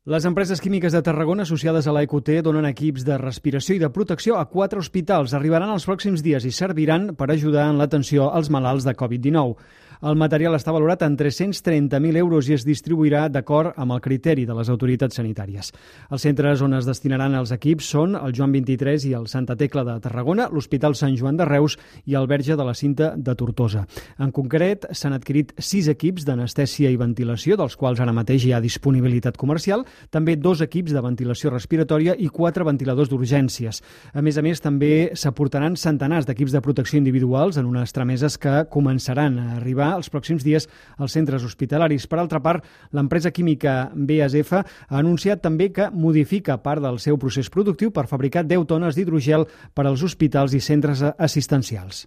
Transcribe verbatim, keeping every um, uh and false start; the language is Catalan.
Les empreses químiques de Tarragona associades a la E Q T donen equips de respiració i de protecció a quatre hospitals. Arribaran els pròxims dies i serviran per ajudar en l'atenció als malalts de covid dinou. El material està valorat en tres-cents trenta mil euros i es distribuirà d'acord amb el criteri de les autoritats sanitàries. Els centres on es destinaran els equips són el Joan vint-i-tres i el Santa Tecla de Tarragona, l'Hospital Sant Joan de Reus i el Verge de la Cinta de Tortosa. En concret, s'han adquirit sis equips d'anestèsia i ventilació, dels quals ara mateix hi ha disponibilitat comercial, també dos equips de ventilació respiratòria i quatre ventiladors d'urgències. A més a més, també s'aportaran centenars d'equips de protecció individuals en unes trameses que començaran a arribar els pròxims dies als centres hospitalaris. Per altra part, l'empresa química B A S F ha anunciat també que modifica part del seu procés productiu per fabricar deu tones d'hidrogel per als hospitals i centres assistencials.